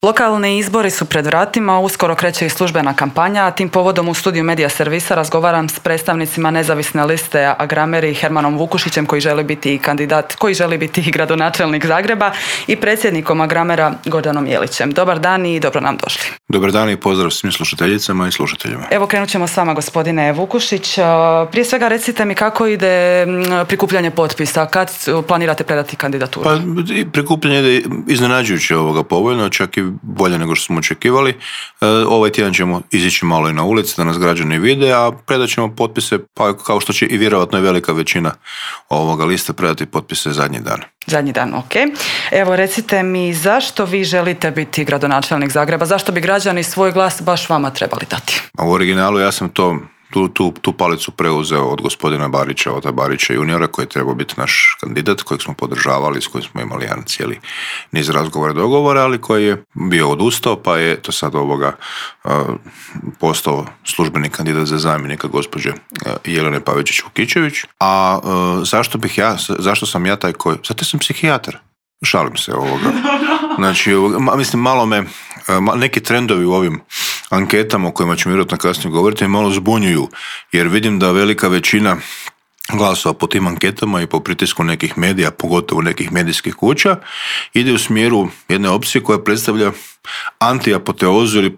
Lokalni izbori su pred vratima, uskoro kreće i službena kampanja, a tim povodom u studiju Medija Servisa razgovaram s predstavnicima nezavisne liste Agrameri Hermanom Vukušićem koji želi biti i gradonačelnik Zagreba i predsjednikom Agramera Gordanom Jelićem. Dobar dan i dobro nam došli. Dobar dan i pozdrav svim slušateljicama i slušateljima. Evo krenut ćemo s vama, gospodine Vukušić. Prije svega recite mi kako ide prikupljanje potpisa, kad planirate predati kandidaturu? Pa prikupljanje ide iznenađujuće povoljno, čak i bolje nego što smo očekivali. Ovaj tjedan ćemo izići malo i na ulici da nas građani vide, a predat ćemo potpise, pa kao što će i vjerojatno i velika većina ovoga lista predati potpise zadnji dan. Zadnji dan, ok. Evo recite mi zašto vi želite biti gradonačelnik Zagreba, zašto bi građani svoj glas baš vama trebali dati? A u originalu ja sam tu palicu preuzeo od gospodina Barića, Ota Barića juniora, koji je trebao biti naš kandidat, kojeg smo podržavali, s kojim smo imali jedan cijeli niz razgovora i dogovora, ali koji je bio odustao, pa je to sad postao službeni kandidat za zamjenika gospođe Jelene Pavičić-Vukičević. A zašto sam ja taj koji? Zato sam psihijatar. Šalim se Znači, mislim, malo me, neki trendovi u ovim anketama o kojima ćemo vjerojatno kasnije govoriti malo zbunjuju, jer vidim da velika većina glasova po tim anketama i po pritisku nekih medija, pogotovo nekih medijskih kuća, ide u smjeru jedne opcije koja predstavlja antiapoteozu ili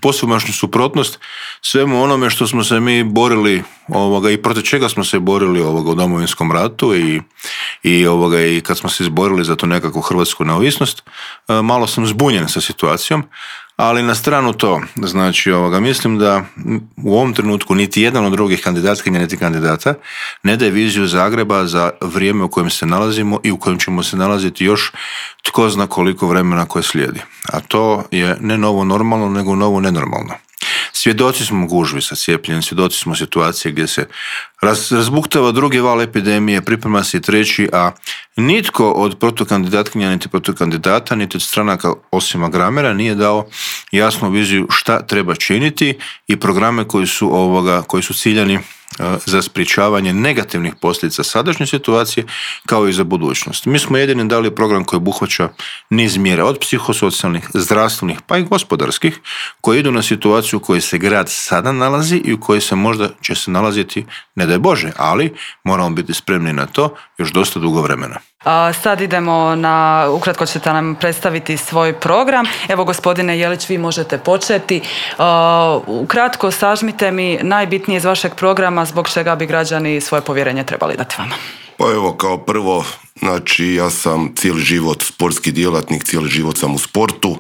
posvemašnju suprotnost svemu onome što smo se mi borili i protiv čega smo se borili u Domovinskom ratu i kad smo se izborili za tu nekakvu hrvatsku neovisnost. Malo sam zbunjen sa situacijom, ali na stranu to, znači mislim da u ovom trenutku niti jedan od drugih kandidatkinja niti kandidata ne daje viziju Zagreba za vrijeme u kojem se nalazimo i u kojem ćemo se nalaziti još tko zna koliko vremena koje slijedi. A to je ne novo normalno, nego novo nenormalno. Svjedoci smo gužvi sa cijepljenjem, svjedoci smo situacije gdje se razbuktava drugi val epidemije, priprema se i treći, a nitko od protukandidatkinja, niti protukandidata, niti od stranaka osim Agramera nije dao jasnu viziju šta treba činiti i programe koji su ciljani za sprječavanje negativnih posljedica sadašnje situacije kao i za budućnost. Mi smo jedini dali program koji obuhvaća niz mjera od psihosocijalnih, zdravstvenih pa i gospodarskih koji idu na situaciju u kojoj se grad sada nalazi i u kojoj se možda će se nalaziti, ne daj Bože, ali moramo biti spremni na to još dosta dugo vremena. Sad idemo ukratko ćete nam predstaviti svoj program. Evo gospodine Jelić, vi možete početi. Ukratko sažmite mi najbitnije iz vašeg programa zbog čega bi građani svoje povjerenje trebali dati vama. Pa evo, kao prvo, znači ja sam cijeli život sportski djelatnik, cijeli život sam u sportu.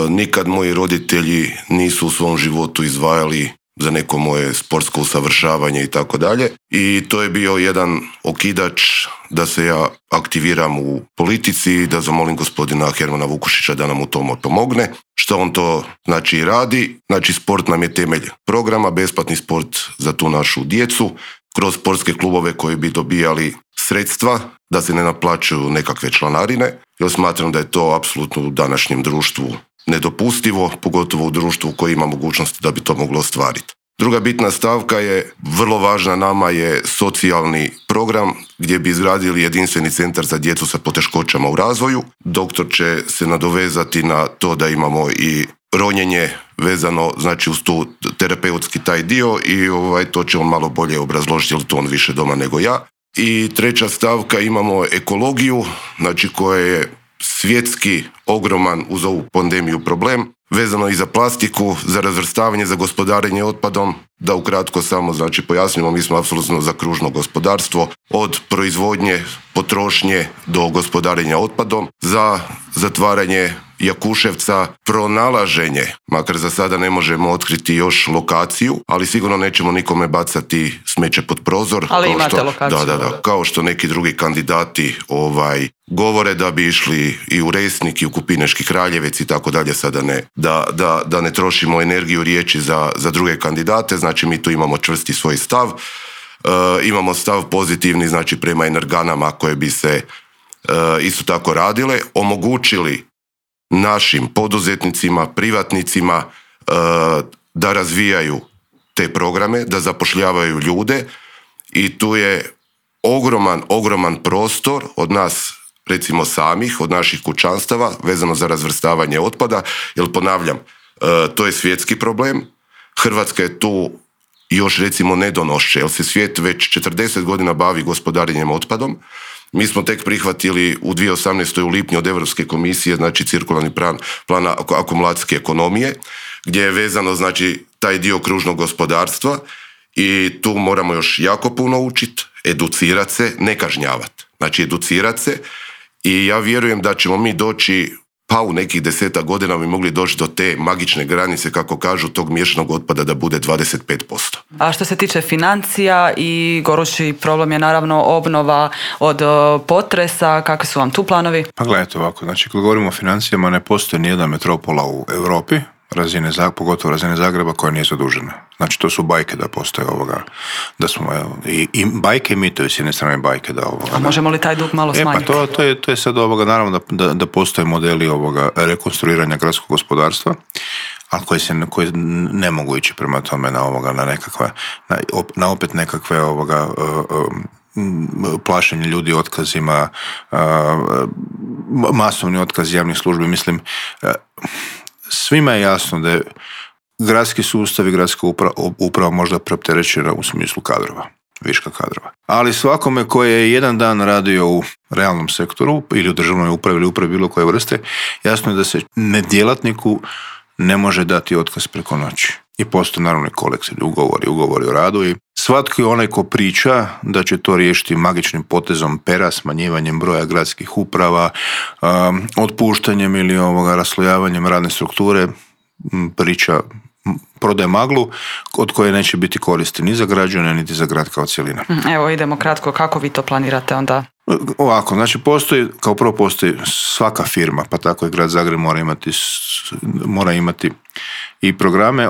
Nikad moji roditelji nisu u svom životu izdvajali za neko moje sportsko usavršavanje i tako dalje. I to je bio jedan okidač da se ja aktiviram u politici i da zamolim gospodina Hermana Vukušića da nam u tome pomogne. Što on to znači radi? Znači sport nam je temelj programa, besplatni sport za tu našu djecu, kroz sportske klubove koji bi dobijali sredstva, da se ne naplaćuju nekakve članarine, jer smatram da je to apsolutno u današnjem društvu nedopustivo, pogotovo u društvu koji ima mogućnosti da bi to moglo ostvariti. Druga bitna stavka je, vrlo važna nama, je socijalni program gdje bi izgradili jedinstveni centar za djecu sa poteškoćama u razvoju. Doktor će se nadovezati na to da imamo i ronjenje vezano, znači uz tu terapeutski taj dio i to će on malo bolje obrazložiti, jer to on više doma nego ja. I treća stavka, imamo ekologiju, znači koja je svjetski ogroman uz ovu pandemiju problem, vezano i za plastiku, za razvrstavanje, za gospodarenje otpadom. Da ukratko samo znači pojasnimo, mi smo apsolutno za kružno gospodarstvo, od proizvodnje, potrošnje do gospodarenja otpadom, za zatvaranje Jakuševca, pronalaženje, makar za sada ne možemo otkriti još lokaciju, ali sigurno nećemo nikome bacati smeće pod prozor. Ali imate lokaciju. Da, kao što neki drugi kandidati govore da bi išli i u Resnik i u Kupineški Kraljevec i tako dalje, sada ne, da ne trošimo energiju riječi za druge kandidate, znači mi tu imamo čvrsti svoj stav. Imamo stav pozitivni, znači prema energanama koje bi se isto tako radile, omogućili našim poduzetnicima, privatnicima da razvijaju te programe, da zapošljavaju ljude i tu je ogroman prostor od nas recimo samih, od naših kućanstava, vezano za razvrstavanje otpada, jer ponavljam, to je svjetski problem. Hrvatska je tu još recimo nedonošće, jer se svijet već 40 godina bavi gospodarenjem otpadom. Mi smo tek prihvatili u 2018. u lipnju od Europske komisije, znači cirkularni plan akumulacijske ekonomije, gdje je vezano znači taj dio kružnog gospodarstva i tu moramo još jako puno učiti, educirati se, ne kažnjavati. Znači educirati se i ja vjerujem da ćemo mi doći, pa u nekih 10 godina bi mogli doći do te magične granice, kako kažu, tog miješanog otpada da bude 25%. A što se tiče financija i gorući problem je naravno obnova od potresa, kakvi su vam tu planovi? Pa gledajte ovako, znači kad govorimo o financijama ne postoji nijedna metropola u Europi, pogotovo razine Zagreba koja nije zadužena. Znači to su bajke da postoje da smo i bajke i mitovi s jedne strane bajke da A možemo li taj dug malo smanjiti? Pa to je sad naravno da postoje modeli rekonstruiranja gradskog gospodarstva, ali koji ne mogu ići prema tome na nekakve na opet nekakve plašenje ljudi otkazima, masovni otkaz javnih službi. Mislim, svima je jasno da je gradski sustav i gradska uprava možda preopterećena u smislu kadrova, viška kadrova. Ali svakome koji je jedan dan radio u realnom sektoru ili u državnoj upravi ili upravi bilo koje vrste, jasno je da se nedjelatniku ne može dati otkaz preko noći. I postoje naravno kolektivni ugovori o radu i svatko je onaj ko priča da će to riješiti magičnim potezom pera, smanjivanjem broja gradskih uprava, otpuštanjem ili raslojavanjem radne strukture, priča prodaje maglu od koje neće biti koristi ni za građane niti za grad kao cjelina. Evo idemo kratko, kako vi to planirate onda? Ovako, znači kao prvo postoji svaka firma, pa tako i grad Zagreb mora imati i programe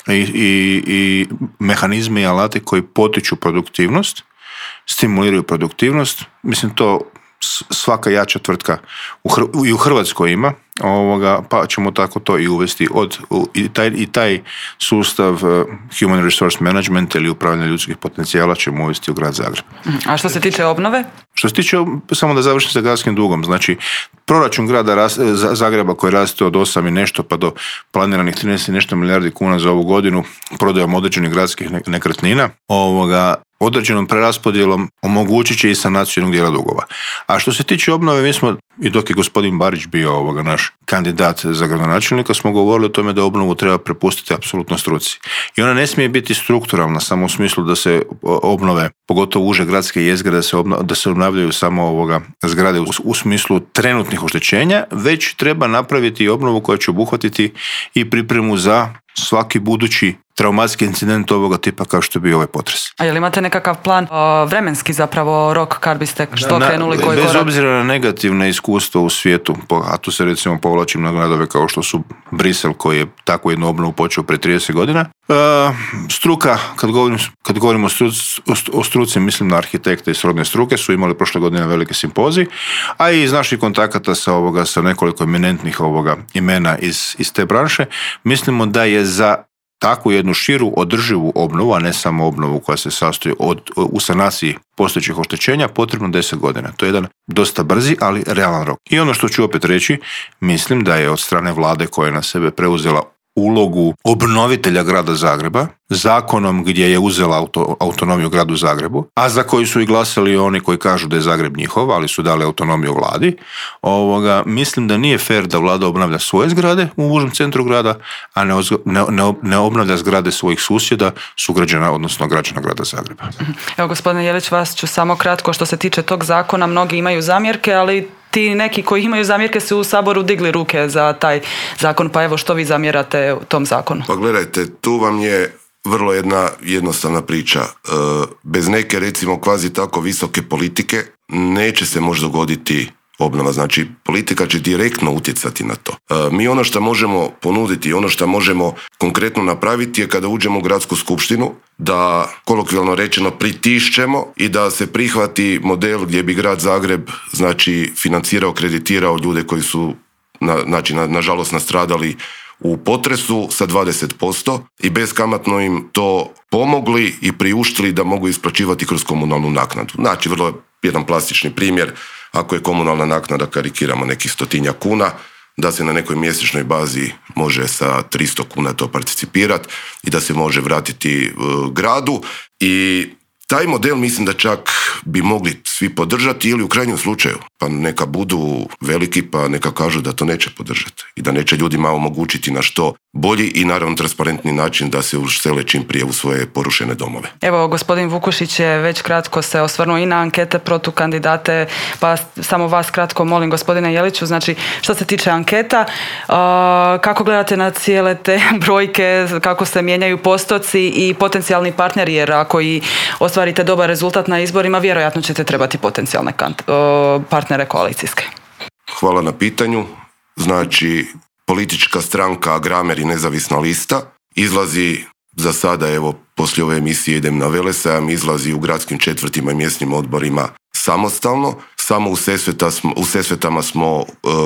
i mehanizme i alate koji potiču produktivnost, stimuliraju produktivnost. Mislim, to svaka jača tvrtka i u Hrvatskoj ima, pa ćemo tako to i uvesti i taj sustav human resource management ili upravljanja ljudskih potencijala ćemo uvesti u grad Zagreb. A što se tiče obnove? Što se tiče, samo da završim sa gradskim dugom, znači proračun grada Zagreba koji raste od 8 i nešto pa do planiranih 13 i nešto milijardi kuna za ovu godinu prodajom određenih gradskih nekretnina, određenom preraspodjelom omogućit će i sanaciju jednog dijela dugova. A što se tiče obnove, mi smo, i dok je gospodin Barić bio naš kandidat za gradonačelnika, smo govorili o tome da obnovu treba prepustiti apsolutno struci. I ona ne smije biti strukturalna, samo u smislu da se obnove, pogotovo uže gradske jezgre, da se obnavljaju samo zgrade u smislu trenutnih oštećenja, već treba napraviti obnovu koja će obuhvatiti i pripremu za svaki budući traumatski incident ovoga tipa kao što je bio ovaj potres. A je li imate nekakav plan, vremenski zapravo rok kad biste što krenuli, koji korak? Bez obzira na negativne iskustva u svijetu, a tu se recimo povlačim na gradove kao što su Brisel koji je takvu jednu obnovu počeo pre 30 godina. Struka, kad govorimo o struci, mislim na arhitekte i srodne struke, su imali prošle godine velike simpozij, a i iz naših kontakata sa nekoliko eminentnih imena iz te branše, mislimo da je za takvu jednu širu održivu obnovu, a ne samo obnovu koja se sastoji u sanaciji postojećih oštećenja, potrebno 10 godina. To je jedan dosta brzi, ali realan rok. I ono što ću opet reći, mislim da je od strane vlade koja je na sebe preuzela ulogu obnovitelja grada Zagreba, zakonom gdje je uzela autonomiju gradu Zagrebu, a za koji su i glasali oni koji kažu da je Zagreb njihov, ali su dali autonomiju vladi, mislim da nije fair da vlada obnavlja svoje zgrade u užem centru grada, a ne obnavlja zgrade svojih susjeda, sugrađana, odnosno građana grada Zagreba. Evo, gospodine Jelić, vas ću samo kratko, što se tiče tog zakona, mnogi imaju zamjerke, ali ti neki koji imaju zamjerke su u Saboru digli ruke za taj zakon, pa evo što vi zamjerate u tom zakonu? Pa gledajte, tu vam je vrlo jedna jednostavna priča. Bez neke, recimo, kvazi tako visoke politike neće se možda dogoditi obnova. Znači, politika će direktno utjecati na to. Mi ono što možemo ponuditi, ono što možemo konkretno napraviti je kada uđemo u gradsku skupštinu, da kolokvijalno rečeno pritišćemo i da se prihvati model gdje bi grad Zagreb financirao, kreditirao ljude koji su nažalost nastradali u potresu sa 20% i beskamatno im to pomogli i priuštili da mogu isplaćivati kroz komunalnu naknadu. Znači, vrlo jedan plastični primjer, ako je komunalna naknada, karikiramo, nekih 100 kuna, da se na nekoj mjesečnoj bazi može sa 300 kuna to participirati i da se može vratiti gradu. I taj model mislim da čak bi mogli svi podržati ili u krajnjem slučaju, pa neka budu veliki pa neka kažu da to neće podržati i da neće ljudima omogućiti na što bolji i naravno transparentni način da se usele čim prije u svoje porušene domove. Evo, gospodin Vukušić je već kratko se osvrnuo i na ankete protukandidate, pa samo vas kratko molim, gospodine Jeliću, znači što se tiče anketa, kako gledate na cijele te brojke, kako se mijenjaju postoci i potencijalni partneri, jer ako i ostvarite dobar rezultat na izborima, vjerojatno ćete trebati potencijalne partnere koalicijske. Hvala na pitanju. Znači, politička stranka Agramer i nezavisna lista izlazi za sada, evo, poslije ove emisije idem na Velesajam, izlazi u gradskim četvrtima i mjesnim odborima samostalno. Samo u Sesvetama smo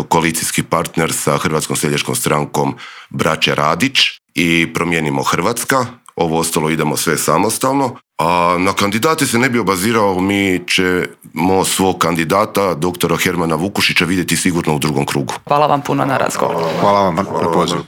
koalicijski partner sa Hrvatskom seljačkom strankom braće Radić i Promijenimo Hrvatska. Ovo ostalo idemo sve samostalno. A na kandidate se ne bi obazirao, mi ćemo svog kandidata, doktora Hermana Vukušića, vidjeti sigurno u drugom krugu. Hvala vam puno na razgovor. Hvala vam na pozivu.